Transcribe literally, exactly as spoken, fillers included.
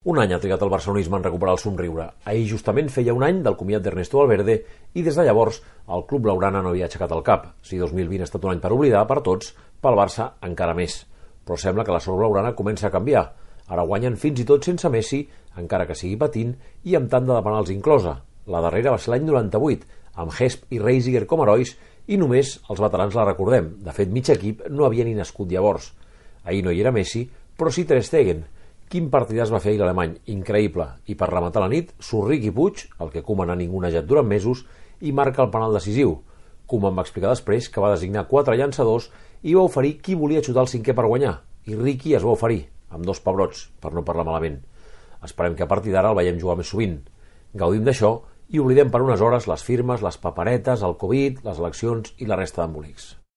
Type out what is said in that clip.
Un any ha trigat el barcelonisme en recuperar el somriure. Ahir justament feia un any del comiat d'Ernesto Valverde i des de llavors el club blaugrana no havia aixecat el cap. Si dos mil vint ha estat un any per oblidar per tots, pel Barça encara més. Però sembla que la sort blaugrana comença a canviar. Ara guanyen fins i tot sense Messi, encara que sigui patint, i amb tanda de penals inclosa. La darrera va ser l'any noranta-vuit, amb Hesp i Reisiger com herois, i només els veterans la recordem. De fet, mig equip no havia ni nascut llavors. Ahir no hi era Messi, però sí Ter Stegen. Quin partidàs va fer ahir l'alemany, increïble. I per rematar la nit, surt Riqui Puig, el que Koeman ha ningunejat durant mesos, i marca el penal decisiu. Koeman va explicar després que va designar quatre llançadors i va oferir qui volia xutar el cinquè per guanyar. I Riqui es va oferir, amb dos pebrots, per no parlar malament. Esperem que a partir d'ara el veiem jugar més sovint. Gaudim d'això i oblidem per unes hores les firmes, les paperetes, el Covid, les eleccions i la resta d'embolics.